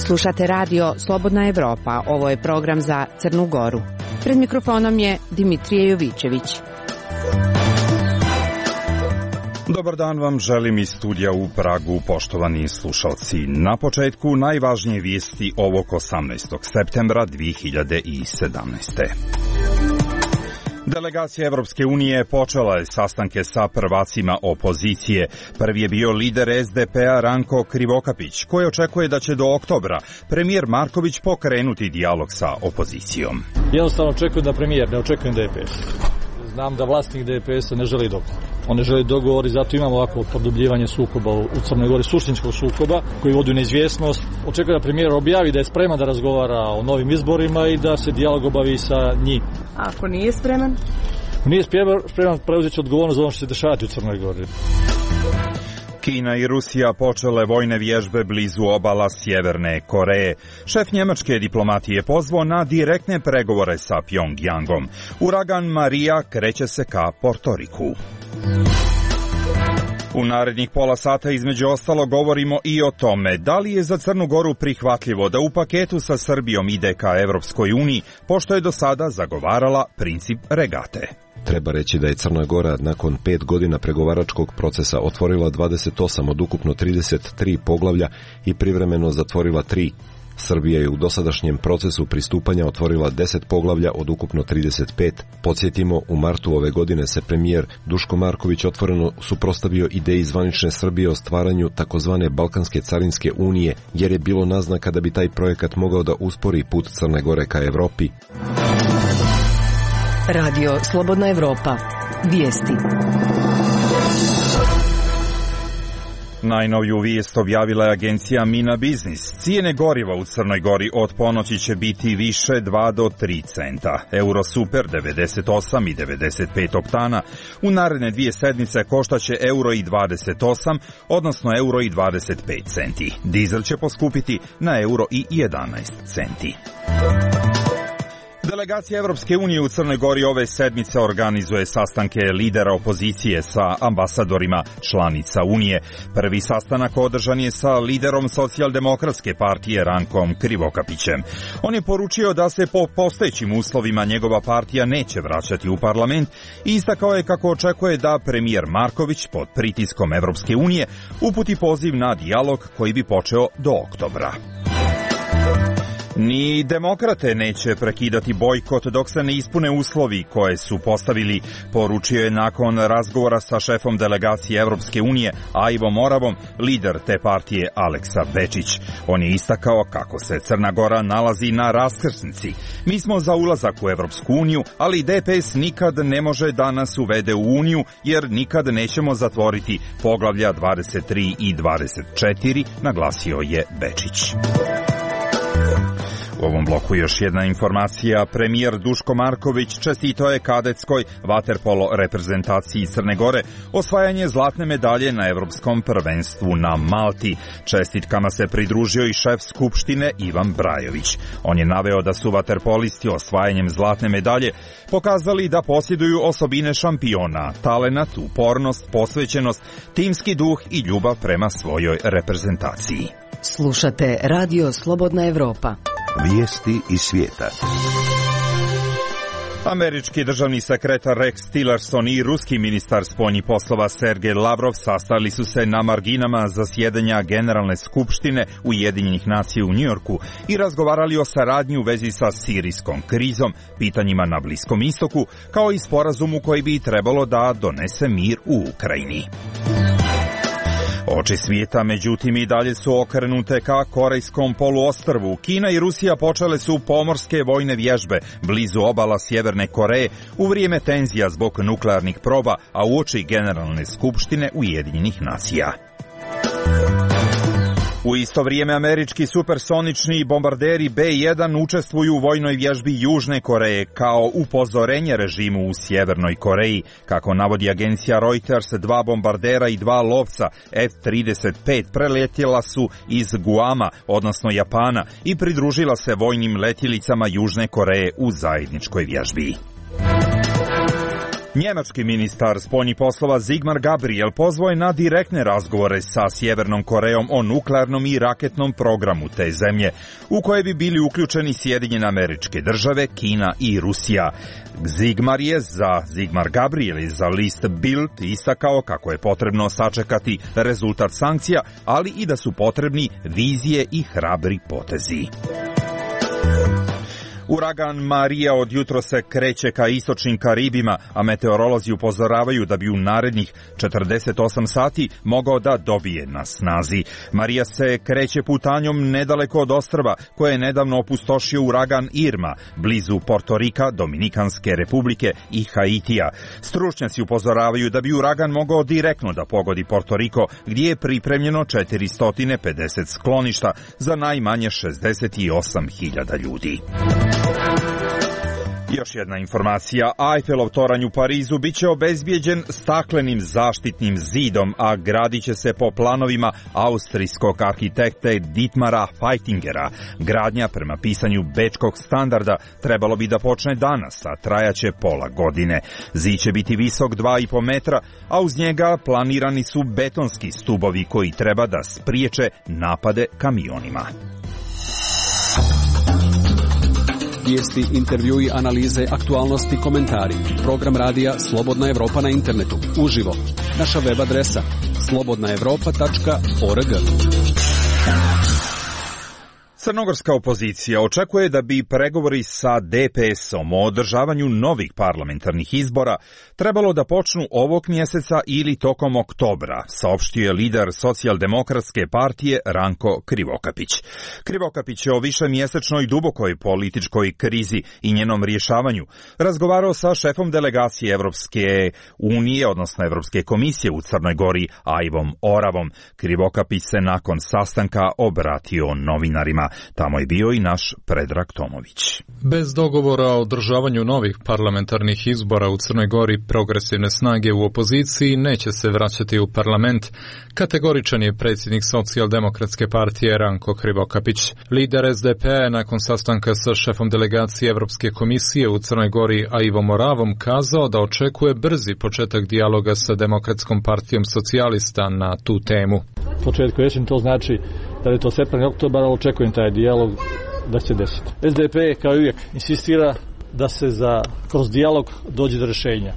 Slušate radio Slobodna Evropa. Ovo je program za Crnu Goru. Pred mikrofonom je Dimitrije Jovićević. Dobar dan vam želim iz studija u Pragu, poštovani slušalci. Na početku najvažnije vijesti ovog 18. septembra 2017. Delegacija Evropske unije počela je sastanke sa prvacima opozicije. Prvi je bio lider SDP-a Ranko Krivokapić, koji očekuje da će do oktobra premijer Marković pokrenuti dijalog sa opozicijom. Jednostavno očekujem da premijer, ne očekujem DPS. Znam da vlasnik DPS-a ne želi dogovor. On ne želi dogovor i zato imamo ovako produbljivanje sukoba u Crnoj Gori, suštinskog sukoba koji vodi u neizvjesnost. Očekujem da premijer objavi da je spreman da razgovara o novim izborima i da se dijalog obavi sa njim. A ako nije spreman? Nije spreman, preuzet će odgovornost za ono što se dešavati u Crnoj Gori. Kina i Rusija počele vojne vježbe blizu obala Sjeverne Koreje. Šef njemačke diplomatije pozvao na direktne pregovore sa Pjongjangom. Uragan Marija kreće se ka Portoriku. U narednih pola sata između ostalo govorimo i o tome da li je za Crnu Goru prihvatljivo da u paketu sa Srbijom ide ka Evropskoj uniji, pošto je do sada zagovarala princip regate. Treba reći da je Crna Gora nakon 5 godina pregovaračkog procesa otvorila 28 od ukupno 33 poglavlja i privremeno zatvorila 3. Srbija je u dosadašnjem procesu pristupanja otvorila 10 poglavlja od ukupno 35. Podsjetimo, u martu ove godine se premijer Duško Marković otvoreno suprotstavio ideji zvanične Srbije o stvaranju takozvane Balkanske carinske unije, jer je bilo naznaka da bi taj projekat mogao da uspori put Crne Gore ka Evropi. Radio Slobodna Evropa. Vijesti. Najnoviju vijest objavila je agencija Mina Biznis. Cijene goriva u Crnoj Gori od ponoći će biti više 2 do 3 centa. Euro Super 98 i 95 oktana u naredne 2 sedmice koštaće euro i 28, odnosno euro i 25 centi. Dizel će poskupiti na euro i 11 centi. Delegacija Evropske unije u Crnoj Gori ove sedmice organizuje sastanke lidera opozicije sa ambasadorima članica Unije. Prvi sastanak održan je sa liderom Socijaldemokratske partije Rankom Krivokapićem. On je poručio da se po postojećim uslovima njegova partija neće vraćati u parlament i istakao je kako očekuje da premijer Marković pod pritiskom Evropske unije uputi poziv na dijalog koji bi počeo do oktobra. Ni demokrate neće prekidati bojkot dok se ne ispune uslovi koje su postavili, poručio je nakon razgovora sa šefom delegacije Evropske unije Ivo Moravom, lider te partije Aleksa Bečić. On je istakao kako se Crna Gora nalazi na raskrsnici. Mi smo za ulazak u Evropsku uniju, ali DPS nikad ne može da nas uvede u uniju jer nikad nećemo zatvoriti poglavlja 23 i 24, naglasio je Bečić. U ovom bloku još jedna informacija. Premijer Duško Marković čestitao je kadetskoj vaterpolo reprezentaciji Crne Gore osvajanje zlatne medalje na Evropskom prvenstvu na Malti. Čestitkama se pridružio i šef Skupštine Ivan Brajović. On je naveo da su vaterpolisti osvajanjem zlatne medalje pokazali da posjeduju osobine šampiona, talenat, upornost, posvećenost, timski duh i ljubav prema svojoj reprezentaciji. Slušate Radio Slobodna Evropa. Vijesti iz svijeta. Američki državni sekretar Rex Tillerson i ruski ministar spoljnih poslova Sergej Lavrov sastali su se na marginama zasjedanja Generalne skupštine Ujedinjenih nacija u Njujorku i razgovarali o saradnji u vezi sa sirijskom krizom, pitanjima na Bliskom istoku, kao i sporazumu koji bi trebalo da donese mir u Ukrajini. Oči svijeta, međutim, i dalje su okrenute ka Korejskom poluostrvu. Kina i Rusija počele su pomorske vojne vježbe blizu obala Sjeverne Koreje u vrijeme tenzija zbog nuklearnih proba, a uoči Generalne skupštine Ujedinjenih nacija. U isto vrijeme američki supersonični bombarderi B-1 učestvuju u vojnoj vježbi Južne Koreje kao upozorenje režimu u Sjevernoj Koreji. Kako navodi agencija Reuters, 2 bombardera i 2 lovca F-35 preletjela su iz Guama, odnosno Japana, i pridružila se vojnim letjelicama Južne Koreje u zajedničkoj vježbi. Njemački ministar spoljnih poslova Sigmar Gabriel pozvao je na direktne razgovore sa Sjevernom Korejom o nuklearnom i raketnom programu te zemlje, u koje bi bili uključeni Sjedinjene Američke Države, Kina i Rusija. Sigmar Gabriel je za list Bild istakao kako je potrebno sačekati rezultat sankcija, ali i da su potrebni vizije i hrabri potezi. Uragan Marija od jutro se kreće ka istočnim Karibima, a meteorolozi upozoravaju da bi u narednih 48 sati mogao da dobije na snazi. Marija se kreće putanjom nedaleko od ostrva koje je nedavno opustošio uragan Irma, blizu Portorika, Dominikanske republike i Haitija. Stručnjaci upozoravaju da bi uragan mogao direktno da pogodi Portoriko, gdje je pripremljeno 450 skloništa za najmanje 68.000 ljudi. Još jedna informacija, Eiffelov toranj u Parizu biće obezbijeđen staklenim zaštitnim zidom, a gradit će se po planovima austrijskog arhitekte Dietmara Feitingera. Gradnja prema pisanju bečkog standarda trebalo bi da počne danas, a trajaće pola godine. Zid će biti visok 2,5 metra, a uz njega planirani su betonski stubovi koji treba da spriječe napade kamionima. Vijesti, intervjui, analize, aktualnosti, komentari. Program radija Slobodna Evropa na internetu. Uživo. Naša web adresa slobodnaevropa.org. Crnogorska opozicija očekuje da bi pregovori sa DPS-om o održavanju novih parlamentarnih izbora trebalo da počnu ovog mjeseca ili tokom oktobra, saopštio je lider Socijaldemokratske partije Ranko Krivokapić. Krivokapić je o višemjesečnoj dubokoj političkoj krizi i njenom rješavanju razgovarao sa šefom delegacije Evropske unije, odnosno Evropske komisije u Crnoj Gori, Aivom Oravom. Krivokapić se nakon sastanka obratio novinarima. Tamo je bio i naš Predrag Tomović. Bez dogovora o održavanju novih parlamentarnih izbora u Crnoj Gori, progresivne snage u opoziciji neće se vraćati u parlament. Kategoričan je predsjednik Socijaldemokratske partije Ranko Krivokapić. Lider SDP-a je nakon sastanka sa šefom delegacije Evropske komisije u Crnoj Gori Aivom Oravom kazao da očekuje brzi početak dijaloga sa Demokratskom partijom socijalista na tu temu. Početku jesen to znači da je to srpanj, oktobar, ali očekujem taj dijalog da će desiti. SDP kao i uvijek insistira da se kroz dijalog dođe do rješenja.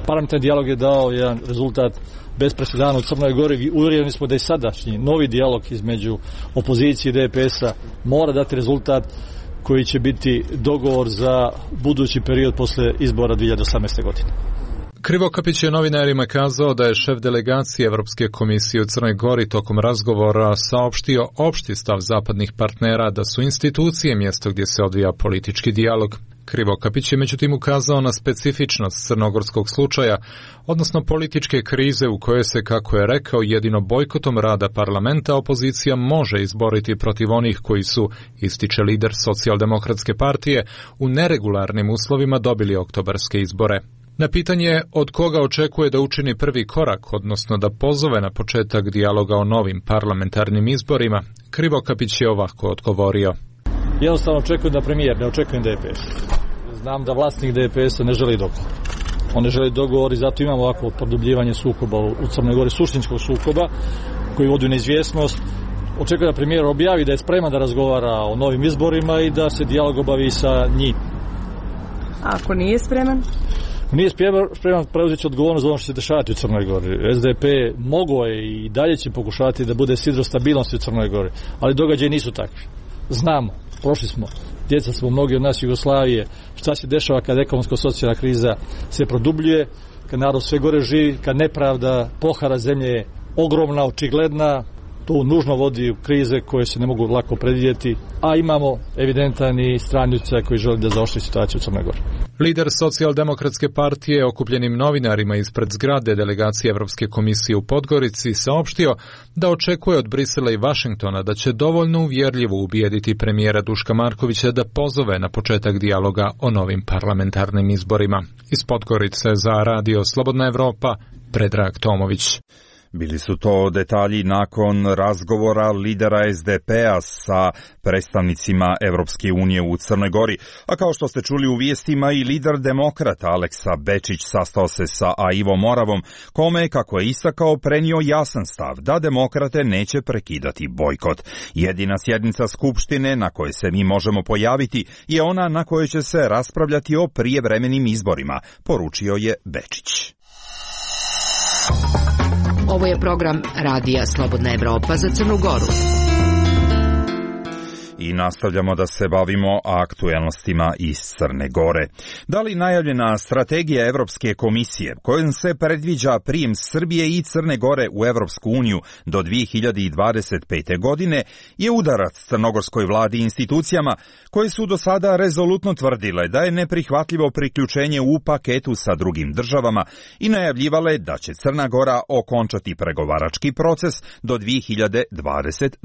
Parlamentarni dijalog je dao jedan rezultat bez presedana u Crnoj Gori. Uvjereni smo da je sadašnji novi dijalog između opozicije i DPS-a mora dati rezultat koji će biti dogovor za budući period posle izbora 2018. godine. Krivokapić je novinarima kazao da je šef delegacije Evropske komisije u Crnoj Gori tokom razgovora saopštio opšti stav zapadnih partnera da su institucije mjesto gdje se odvija politički dijalog. Krivokapić je međutim ukazao na specifičnost crnogorskog slučaja, odnosno političke krize u kojoj se, kako je rekao, jedino bojkotom rada parlamenta opozicija može izboriti protiv onih koji su, ističe lider Socijaldemokratske partije, u neregularnim uslovima dobili oktobarske izbore. Na pitanje od koga očekuje da učini prvi korak, odnosno da pozove na početak dijaloga o novim parlamentarnim izborima, Krivokapić je ovako odgovorio. Jednostavno očekujem da premijer, ne očekujem DPS. Znam da vlasnik DPS-a ne želi dogovor. On ne želi dogovor i zato imamo ovako produbljivanje sukoba u Crnoj Gori, suštinskog sukoba koji vodi u neizvjesnost. Očekujem da premijer objavi da je spreman da razgovara o novim izborima i da se dijalog obavi sa njim. A ako nije spreman? Nije spreman preuzeti odgovornost za ono što će dešavati u Crnoj Gori. SDP mogao je i dalje će pokušati da bude sidro stabilnosti u Crnoj Gori, ali događaji nisu takvi. Znamo, prošli smo, djeca smo mnogi od nas Jugoslavije, šta se dešava kad ekonomsko-socijalna kriza se produbljuje, kad narod sve gore živi, kad nepravda, pohara zemlje je ogromna, očigledna, To nužno vodi u krize koje se ne mogu lako predvidjeti, a imamo evidentan i strani utjecaj koji želi da zaoštri situaciju u Crnoj Gori. Lider Socijaldemokratske partije okupljenim novinarima ispred zgrade delegacije Evropske komisije u Podgorici saopštio da očekuje od Brisela i Vašingtona da će dovoljno uvjerljivo ubijediti premijera Duška Markovića da pozove na početak dijaloga o novim parlamentarnim izborima. Iz Podgorice za Radio Slobodna Evropa, Predrag Tomović. Bili su to detalji nakon razgovora lidera SDP-a sa predstavnicima Evropske unije u Crnoj Gori. A kao što ste čuli u vijestima, i lider demokrata Aleksa Bečić sastao se sa Aivom Moravom, kome je, kako je istakao, prenio jasan stav da demokrate neće prekidati bojkot. Jedina sjednica Skupštine na kojoj se mi možemo pojaviti je ona na kojoj će se raspravljati o prijevremenim izborima, poručio je Bečić. Ovo je program Radija Slobodna Evropa za Crnu Goru. I nastavljamo da se bavimo aktuelnostima iz Crne Gore. Da li najavljena strategija Evropske komisije, kojom se predviđa prijem Srbije i Crne Gore u Evropsku uniju do 2025. godine, je udarac crnogorskoj vladi i institucijama koje su do sada rezolutno tvrdile da je neprihvatljivo priključenje u paketu sa drugim državama i najavljivale da će Crna Gora okončati pregovarački proces do 2022.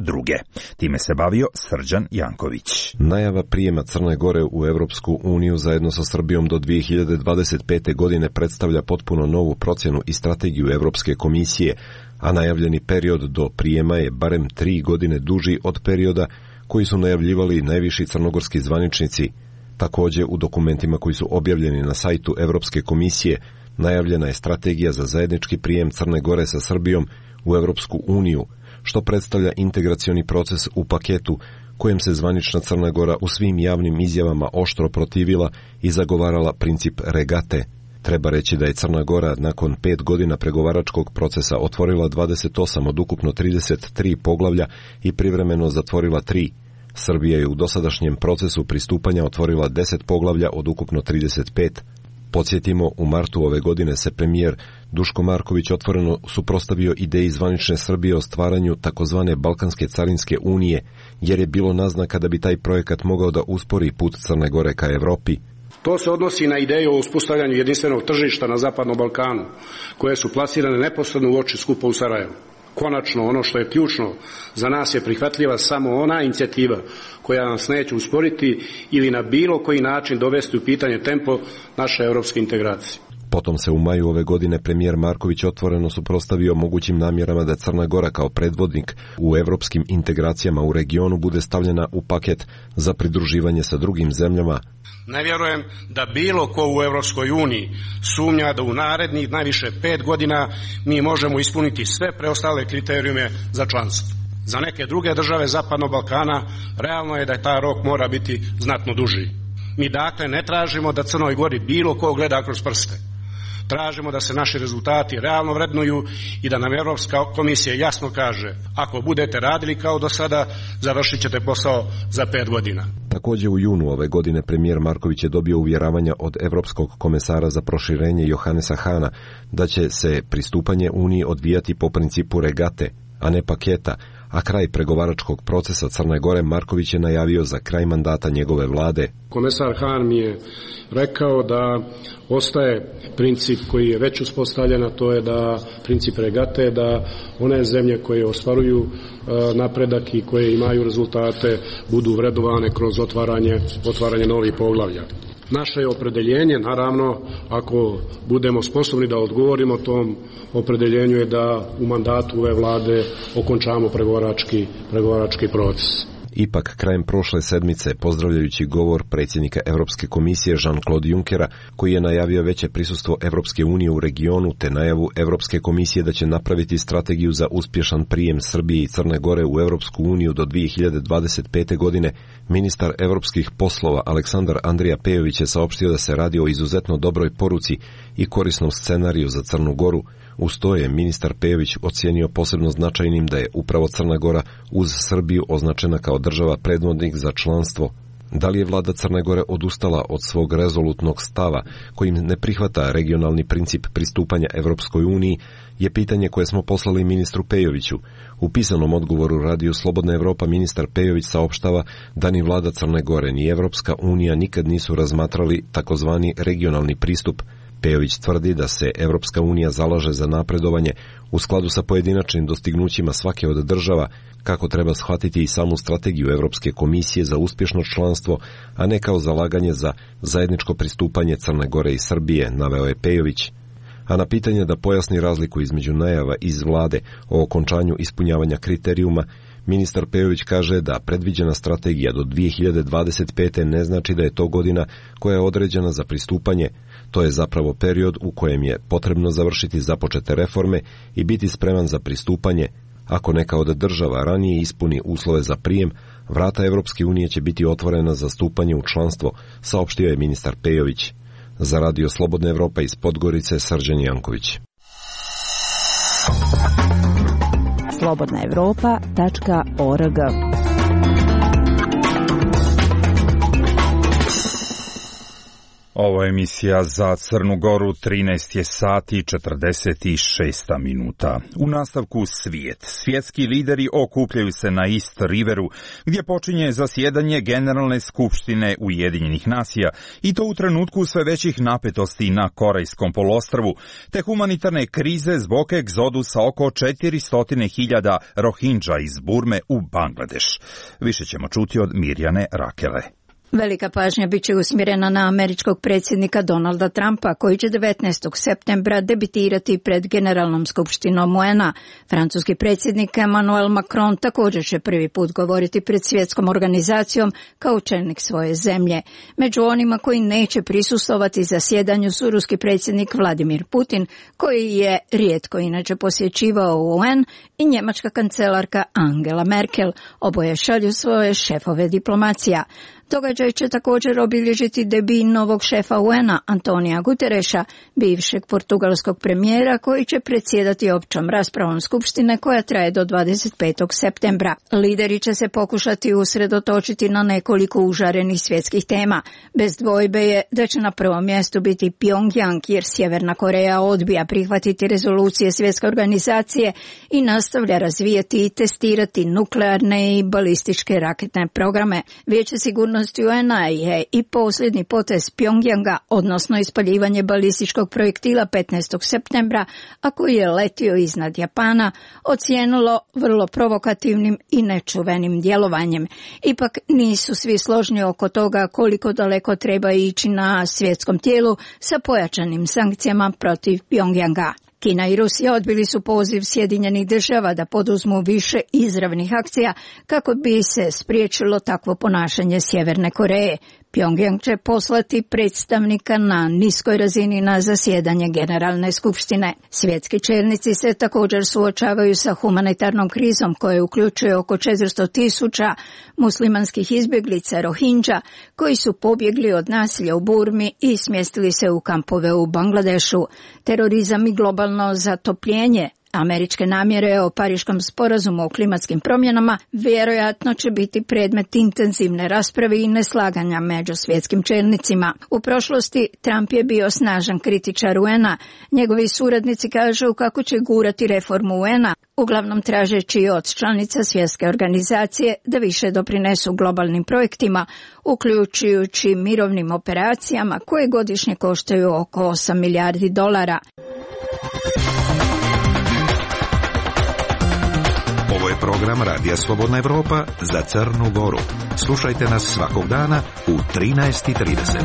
Time se bavio Srđan Janković. Najava prijema Crne Gore u Evropsku uniju zajedno sa Srbijom do 2025. godine predstavlja potpuno novu procjenu i strategiju Evropske komisije, a najavljeni period do prijema je barem 3 godine duži od perioda koji su najavljivali najviši crnogorski zvaničnici. Također, u dokumentima koji su objavljeni na sajtu Evropske komisije, najavljena je strategija za zajednički prijem Crne Gore sa Srbijom u Evropsku uniju, što predstavlja integracioni proces u paketu kojem se zvanična Crna Gora u svim javnim izjavama oštro protivila i zagovarala princip regate. Treba reći da je Crna Gora nakon 5 godina pregovaračkog procesa otvorila 28 od ukupno 33 poglavlja i privremeno zatvorila 3. Srbija je u dosadašnjem procesu pristupanja otvorila 10 poglavlja od ukupno 35. Podsjetimo, u martu ove godine se premijer Duško Marković otvoreno suprotstavio ideji zvanične Srbije o stvaranju takozvane Balkanske carinske unije, jer je bilo naznaka da bi taj projekat mogao da uspori put Crne Gore ka Evropi. To se odnosi na ideju o uspostavljanju jedinstvenog tržišta na Zapadnom Balkanu, koje su plasirane neposredno u oči skupa u Sarajevu. Konačno, ono što je ključno, za nas je prihvatljiva samo ona inicijativa koja nas neće usporiti ili na bilo koji način dovesti u pitanje tempo naše evropske integracije. Potom se u maju ove godine premijer Marković otvoreno suprotstavio mogućim namjerama da Crna Gora kao predvodnik u evropskim integracijama u regionu bude stavljena u paket za pridruživanje sa drugim zemljama. Ne vjerujem da bilo ko u Evropskoj uniji sumnja da u narednih najviše 5 godina mi možemo ispuniti sve preostale kriterijume za članstvo. Za neke druge države Zapadnog Balkana realno je da taj rok mora biti znatno duži. Mi dakle ne tražimo da Crnoj Gori bilo ko gleda kroz prste. Tražimo da se naši rezultati realno vrednuju i da nam Evropska komisija jasno kaže: ako budete radili kao do sada, završit ćete posao za 5 godina. Također u junu ove godine premijer Marković je dobio uvjeravanja od Evropskog komesara za proširenje Johannesa Hahna da će se pristupanje Uniji odvijati po principu regate, a ne paketa, a kraj pregovaračkog procesa Crne Gore Marković je najavio za kraj mandata njegove vlade. Komesar Hahn mi je rekao da ostaje princip koji je već uspostavljen, a to je da princip regate, da one zemlje koje ostvaruju napredak i koje imaju rezultate budu vrednovane kroz otvaranje novih poglavlja. Naše je opredeljenje, naravno, ako budemo sposobni da odgovorimo tom opredeljenju, je da u mandatu ove vlade okončamo pregovarački proces. Ipak, krajem prošle sedmice, pozdravljajući govor predsjednika Europske komisije Jean-Claude Junckera, koji je najavio veće prisustvo Evropske unije u regionu, te najavu Europske komisije da će napraviti strategiju za uspješan prijem Srbije i Crne Gore u Evropsku uniju do 2025. godine, ministar evropskih poslova Aleksandar Andrija Pejović je saopštio da se radi o izuzetno dobroj poruci i korisnom scenariju za Crnu Goru. Uz to je ministar Pejović ocijenio posebno značajnim da je upravo Crna Gora uz Srbiju označena kao država predvodnik za članstvo. Da li je vlada Crne Gore odustala od svog rezolutnog stava kojim ne prihvata regionalni princip pristupanja Evropskoj uniji je pitanje koje smo poslali ministru Pejoviću. U pisanom odgovoru Radiju Slobodna Evropa ministar Pejović saopštava da ni vlada Crne Gore ni Evropska unija nikad nisu razmatrali takozvani regionalni pristup. Pejović tvrdi da se Evropska unija zalaže za napredovanje u skladu sa pojedinačnim dostignućima svake od država, kako treba shvatiti i samu strategiju Evropske komisije za uspješno članstvo, a ne kao zalaganje za zajedničko pristupanje Crne Gore i Srbije, naveo je Pejović. A na pitanje da pojasni razliku između najava iz vlade o okončanju ispunjavanja kriterijuma, ministar Pejović kaže da predviđena strategija do 2025. ne znači da je to godina koja je određena za pristupanje. To je zapravo period u kojem je potrebno završiti započete reforme i biti spreman za pristupanje. Ako neka od država ranije ispuni uslove za prijem, vrata Evropske unije će biti otvorena za stupanje u članstvo, saopštio je ministar Pejović. Za Radio Slobodna Evropa iz Podgorice, Srđan Janković. slobodnaevropa.org. Ovo je emisija za Crnu Goru, 13 je sati 46 minuta. U nastavku svijet. Svjetski lideri okupljaju se na East Riveru, gdje počinje zasjedanje Generalne skupštine Ujedinjenih nacija, i to u trenutku sve većih napetosti na Korejskom poluostrvu, te humanitarne krize zbog egzodusa oko 400.000 Rohingya iz Burme u Bangladeš. Više ćemo čuti od Mirjane Rakele. Velika pažnja biće usmjerena na američkog predsjednika Donalda Trumpa, koji će 19. septembra debitirati pred Generalnom skupštinom UN-a. Francuski predsjednik Emmanuel Macron također će prvi put govoriti pred svjetskom organizacijom kao čelnik svoje zemlje. Među onima koji neće prisustvovati zasjedanju su ruski predsjednik Vladimir Putin, koji je rijetko inače posjećivao UN, i njemačka kancelarka Angela Merkel. Oboje šalju svoje šefove diplomacija. Događaj će također obilježiti debi novog šefa UN-a Antonija Gutereša, bivšeg portugalskog premijera, koji će predsjedati općom raspravom skupštine koja traje do 25. septembra. Lideri će se pokušati usredotočiti na nekoliko užarenih svjetskih tema. Bez dvojbe je da će na prvom mjestu biti Pyongyang, jer Sjeverna Koreja odbija prihvatiti rezolucije svjetske organizacije i nastavlja razvijati i testirati nuklearne i balističke raketne programe. Vijeće sigurnosti UN-a je i posljednji potez Pyongyanga, odnosno ispaljivanje balističkog projektila 15. septembra, a koji je letio iznad Japana, ocijenilo vrlo provokativnim i nečuvenim djelovanjem. Ipak nisu svi složni oko toga koliko daleko treba ići na svjetskom tijelu sa pojačanim sankcijama protiv Pyongyanga. Kina i Rusija odbili su poziv Sjedinjenih država da poduzmu više izravnih akcija kako bi se spriječilo takvo ponašanje Sjeverne Koreje. Pyongyang će poslati predstavnika na niskoj razini na zasjedanje Generalne skupštine. Svjetski čelnici se također suočavaju sa humanitarnom krizom koja uključuje oko 400.000 muslimanskih izbjeglica Rohingya koji su pobjegli od nasilja u Burmi i smjestili se u kampove u Bangladešu. Terorizam i globalno zatopljenje, američke namjere o Pariškom sporazumu o klimatskim promjenama vjerojatno će biti predmet intenzivne rasprave i neslaganja među svjetskim čelnicima. U prošlosti Trump je bio snažan kritičar UN-a. Njegovi suradnici kažu kako će gurati reformu UN-a, uglavnom tražeći od članica svjetske organizacije da više doprinesu globalnim projektima, uključujući mirovnim operacijama koje godišnje koštaju oko $8 milijardi. Ovo je program Radija Slobodna Evropa za Crnu Goru. Slušajte nas svakog dana u 13:30.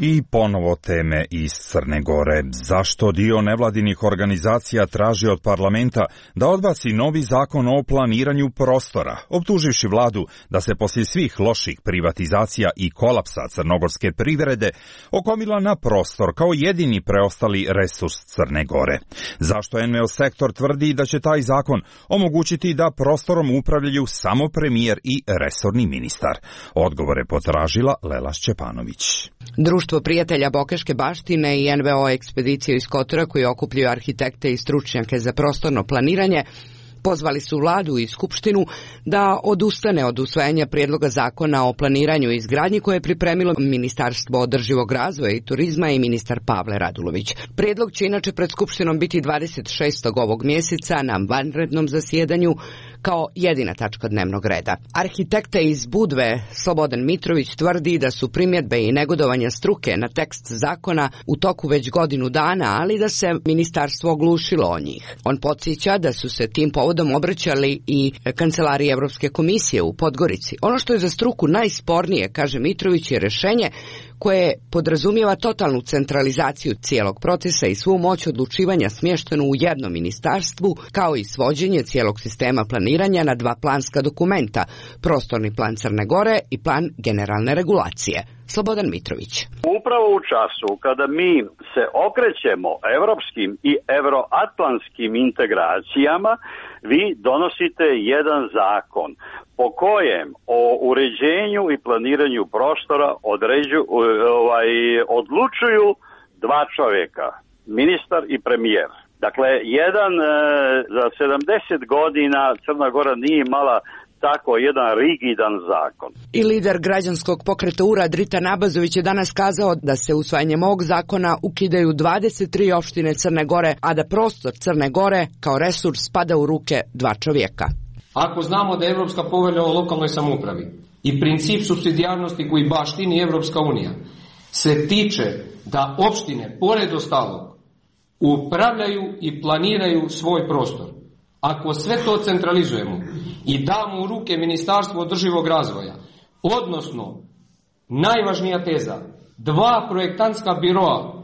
I ponovo teme iz Crne Gore. Zašto dio nevladinih organizacija traži od parlamenta da odbaci novi zakon o planiranju prostora, optuživši vladu da se poslije svih loših privatizacija i kolapsa crnogorske privrede okomila na prostor kao jedini preostali resurs Crne Gore? Zašto NVO sektor tvrdi da će taj zakon omogućiti da prostorom upravljaju samo premijer i resorni ministar? Odgovore potražila Lela Šćepanović. Društvo prijatelja Bokeške baštine i NVO ekspediciju iz Kotora, koji okupljaju arhitekte i stručnjake za prostorno planiranje, Pozvali su vladu i skupštinu da odustane od usvajanja prijedloga zakona o planiranju i izgradnji koje je pripremilo Ministarstvo održivog razvoja i turizma i ministar Pavle Radulović. Prijedlog će inače pred skupštinom biti 26. ovog mjeseca na vanrednom zasjedanju kao jedina tačka dnevnog reda. Arhitekta iz Budve Slobodan Mitrović tvrdi da su primjedbe i negodovanja struke na tekst zakona u toku već godinu dana, ali da se ministarstvo oglušilo o njih. On podsjeća da su se tim povodom obraćali i kancelariji Evropske komisije u Podgorici. Ono što je za struku najspornije, kaže Mitrović, je rješenje koje podrazumijeva totalnu centralizaciju cijelog procesa i svu moć odlučivanja smještenu u jednom ministarstvu, kao i svođenje cijelog sistema planiranja na dva planska dokumenta, prostorni plan Crne Gore i plan generalne regulacije. Slobodan Mitrović. Upravo u času kada mi se okrećemo evropskim i euroatlantskim integracijama, vi donosite jedan zakon po kojem o uređenju i planiranju prostora odlučuju dva čovjeka, ministar i premijer. Dakle, jedan za 70 godina Crna Gora nije imala tako jedan rigidan zakon. I lider građanskog pokreta URA Dritan Abazović je danas kazao da se usvajanjem ovog zakona ukidaju 23 opštine Crne Gore, a da prostor Crne Gore kao resurs spada u ruke dva čovjeka. Ako znamo da je Evropska povelja o lokalnoj samoupravi i princip supsidijarnosti koji baštini Evropska unija se tiče da opštine, pored ostalog, upravljaju i planiraju svoj prostor. Ako sve to centralizujemo i damo u ruke Ministarstvo održivog razvoja, odnosno, najvažnija teza, dva projektantska biroa,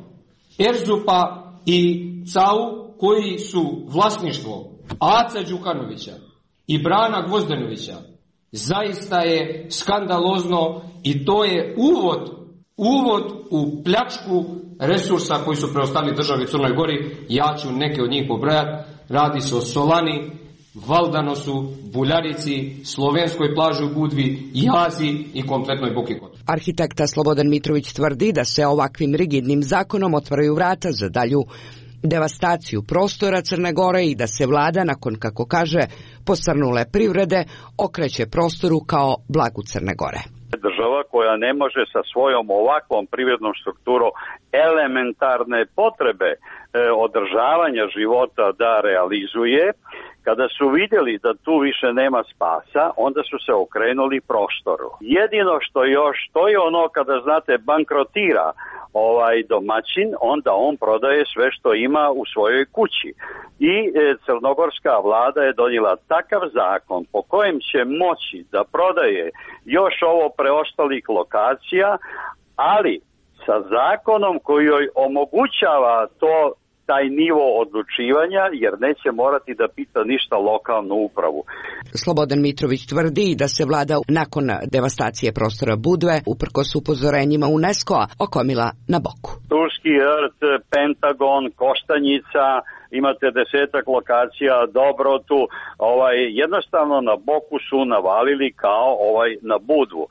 Erzupa i CAU, koji su vlasništvo Aca Đukanovića i Brana Gvozdenovića, zaista je skandalozno i to je uvod u pljačku resursa koji su preostali državi Crnoj Gori. Ja ću neke od njih pobrojati. Radi se o Solani, Valdanosu, Buljarici, Slovenskoj plaži u Budvi, Jazi i kompletnoj Boki Kotor. Arhitekta Slobodan Mitrović tvrdi da se ovakvim rigidnim zakonom otvaraju vrata za dalju devastaciju prostora Crne Gore i da se vlada, nakon, kako kaže, posrnule privrede, okreće prostoru kao blagu Crne Gore. Država koja ne može sa svojom ovakvom privrednom strukturom elementarne potrebe održavanja života da realizuje, kada su vidjeli da tu više nema spasa, onda su se okrenuli prostoru. Jedino što još, to je ono kada, znate, bankrotira domaćin, onda on prodaje sve što ima u svojoj kući. I crnogorska vlada je donijela takav zakon po kojem će moći da prodaje još ovo preostalih lokacija, ali sa zakonom koji joj omogućava taj nivo odlučivanja, jer neće morati da pita ništa lokalnu upravu. Slobodan Mitrović tvrdi da se vlada nakon devastacije prostora Budve, uprkos upozorenjima UNESCO-a, okomila na boku. Turski rt, Pentagon, Koštanjica, imate 10-ak lokacija, Dobrotu, jednostavno na boku su navalili kao na Budvu.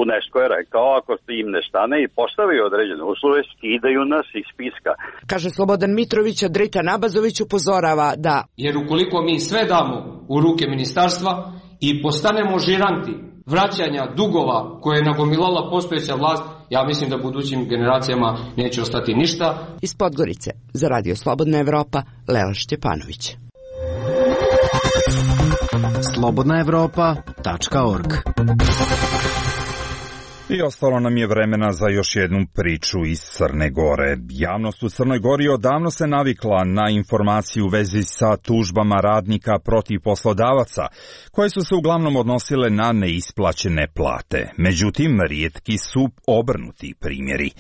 UNESCO je rekao, ako im ne stane i postavi određene uslove, skidaju nas iz spiska. Kaže Slobodan Mitrović, a Dritan Abazović upozorava da... Jer ukoliko mi sve damo u ruke ministarstva i postanemo žiranti vraćanja dugova koje je nagomilala postojeća vlast, ja mislim da budućim generacijama neće ostati ništa. Iz Podgorice, za Radio Slobodna Evropa, Lela Šćepanović. slobodnaevropa.org. I ostalo nam je vremena za još jednu priču iz Crne Gore. Javnost u Crnoj Gori odavno se navikla na informaciju u vezi sa tužbama radnika protiv poslodavaca, koje su se uglavnom odnosile na neisplaćene plate. Međutim, rijetki su obrnuti primjeri.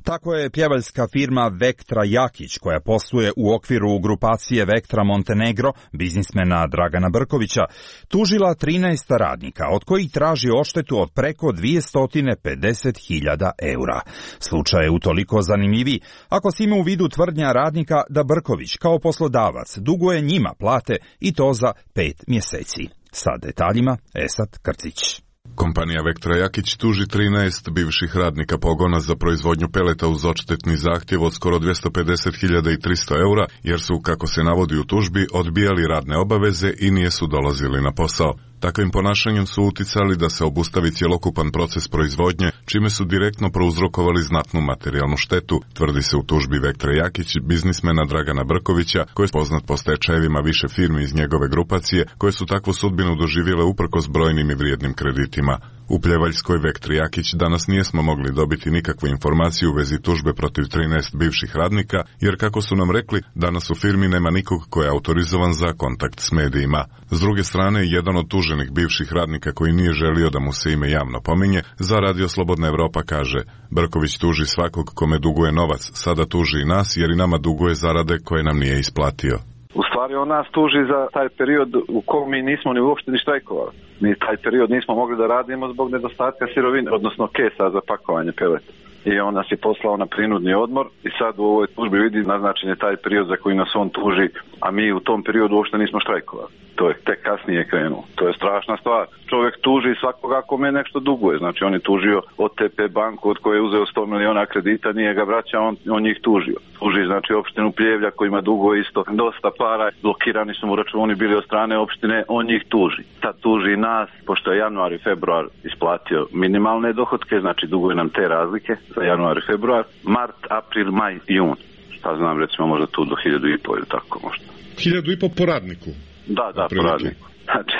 Tako je pjevaljska firma Vektra Jakić, koja posluje u okviru grupacije Vektra Montenegro, biznismena Dragana Brkovića, tužila 13 radnika, od kojih traži odštetu od preko 250.000 eura. Slučaj je utoliko zanimljiviji ako se ima u vidu tvrdnja radnika da Brković kao poslodavac duguje njima plate i to za 5 mjeseci. Sa detaljima Esat Krcić. Kompanija Vektra Jakić tuži 13 bivših radnika pogona za proizvodnju peleta uz odštetni zahtjev od skoro 250.300 eura, jer su, kako se navodi u tužbi, odbijali radne obaveze i nisu dolazili na posao. Takvim ponašanjem su uticali da se obustavi cjelokupan proces proizvodnje, čime su direktno prouzrokovali znatnu materijalnu štetu, tvrdi se u tužbi Vektra Jakić, biznismena Dragana Brkovića, koji je poznat po stečajevima više firmi iz njegove grupacije, koje su takvu sudbinu doživjele uprkos brojnim i vrijednim kreditima. U Pljevaljskoj Vektri Jakić danas nismo mogli dobiti nikakvu informaciju u vezi tužbe protiv 13 bivših radnika, jer kako su nam rekli, danas u firmi nema nikog ko je autorizovan za kontakt s medijima. S druge strane, jedan od tuženih bivših radnika koji nije želio da mu se ime javno pominje, za Radio Slobodna Evropa kaže: Brković tuži svakog kome duguje novac, sada tuži i nas jer i nama duguje zarade koje nam nije isplatio. U stvari on nas tuži za taj period u kojem mi nismo ni uopšte ni štrajkovali. Mi taj period nismo mogli da radimo zbog nedostatka sirovine, odnosno kesa za pakovanje peleta. I on nas je poslao na prinudni odmor i sad u ovoj tužbi vidi naznačen je taj period za koji nas on tuži, a mi u tom periodu uopšte nismo štrajkovali. To je tek kasnije krenuo. To je strašna stvar. Čovjek tuži svakoga kome nešto duguje. Znači on je tužio OTP banku od koje je uzeo 100 miliona kredita, nije ga vraćao, on njih tužio. Tuži znači opštinu Pljevlja kojima duguje isto dosta para, blokirani su mu računi bili od strane opštine, on njih tuži. Sad tuži nas, pošto je januar i februar isplatio minimalne dohotke, znači duguje nam te razlike za januar i februar, mart, april, maj, jun. Šta znam, recimo možda tu do 1.500 ili tako možda. 1.500 po radniku? Da, po radniku. Znači,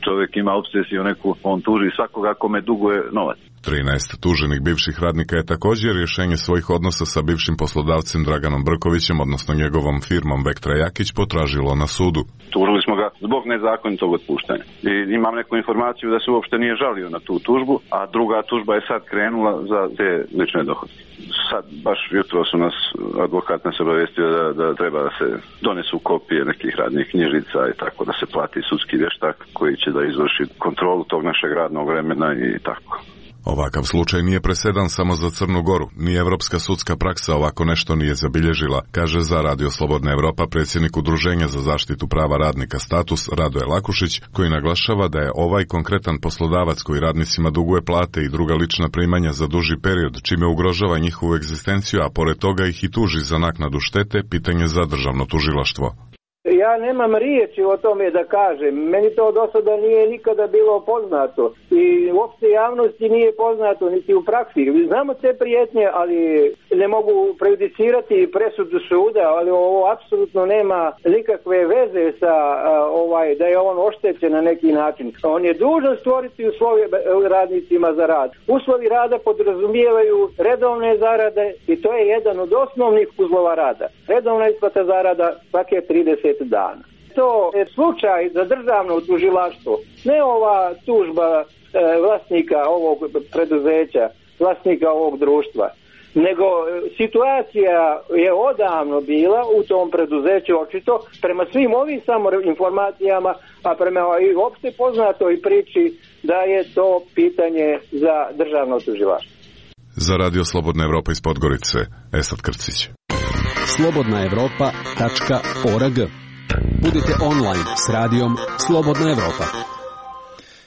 čovjek ima obsesiju neku, on tuži svakoga kome duguje novac. 13 tuženih bivših radnika je također rješenje svojih odnosa sa bivšim poslodavcem Draganom Brkovićem, odnosno njegovom firmom Vektra Jakić, potražilo na sudu. Tužili smo ga zbog nezakonitog otpuštanja. I imam neku informaciju da se uopšte nije žalio na tu tužbu, a druga tužba je sad krenula za te lične dohotke. Sad, baš jutro su nas, advokat nas obavestio da treba da se donesu kopije nekih radnih knjižica i tako, da se plati sudski vještak koji će da izvrši kontrolu tog našeg radnog vremena i tako. Ovakav slučaj nije presedan samo za Crnu Goru, ni evropska sudska praksa ovako nešto nije zabilježila, kaže za Radio Slobodna Evropa predsjednik Udruženja za zaštitu prava radnika Status Radoje Lakušić, koji naglašava da je ovaj konkretan poslodavac koji radnicima duguje plate i druga lična primanja za duži period, čime ugrožava njihovu egzistenciju, a pored toga ih i tuži za naknadu štete, pitanje za državno tužilaštvo. Ja nemam riječi o tome da kažem. Meni to do sada nije nikada bilo poznato i uopšte javnosti nije poznato niti u praksi. Znamo te prijetnje, ali ne mogu prejudicirati presudu suda, ali ovo apsolutno nema nikakve veze sa da je on oštećen na neki način. On je dužan stvoriti uslove radnicima za rad. Uslovi rada podrazumijevaju redovne zarade i to je jedan od osnovnih uslova rada. Redovna isplata zarada svake 30 dana. To je slučaj za državno tužilaštvo, ne ova tužba vlasnika ovog preduzeća, vlasnika ovog društva, nego situacija je odavno bila u tom preduzeću očito, prema svim ovim samo informacijama, a prema i opšte poznatoj priči da je to pitanje za državno tužilaštvo. Za Radio Slobodna Evropa iz Podgorice, Esad Krcić. slobodnaevropa.org. Budite online s radijom Slobodna Evropa.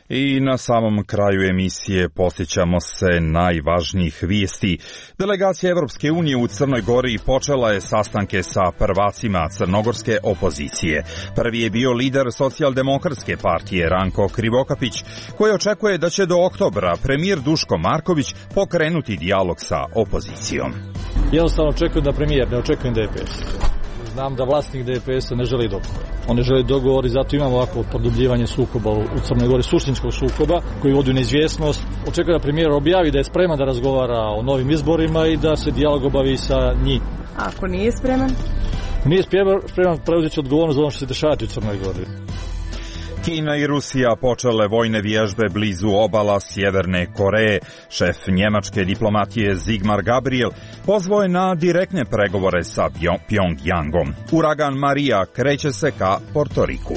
I na samom kraju emisije posjećamo se najvažnijih vijesti. Delegacija Evropske unije u Crnoj Gori počela je sastanke sa prvacima crnogorske opozicije. Prvi je bio lider socijaldemokratske partije Ranko Krivokapić, koji očekuje da će do oktobra premijer Duško Marković pokrenuti dijalog sa opozicijom. Jednostavno očekujem da premijer, ne očekujem DPS. Znam da vlasnik DPS-a ne želi dogovor. On ne želi dogovor i zato imamo ovako produbljivanje sukoba u Crnoj Gori, suštinskog sukoba koji vodi u neizvjesnost. Očekujem da premijer objavi da je spreman da razgovara o novim izborima i da se dijalog obavi sa njim. Ako nije spreman? Nije spreman, preuzeti odgovornost za ono što se dešavati u Crnoj Gori. Kina i Rusija počele vojne vježbe blizu obala Sjeverne Koreje. Šef njemačke diplomatije Sigmar Gabriel pozvao je na direktne pregovore sa Pjongjangom. Uragan Marija kreće se ka Portoriku.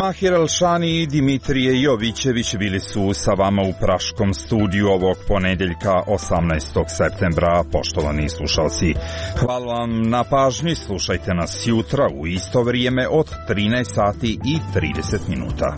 Mahir Elšani i Dimitrije Jovićević bili su sa vama u Praškom studiju ovog ponedeljka 18. septembra. Poštovani slušalci, hvala vam na pažnji. Slušajte nas jutra u isto vrijeme od 13 sati i 30 minuta.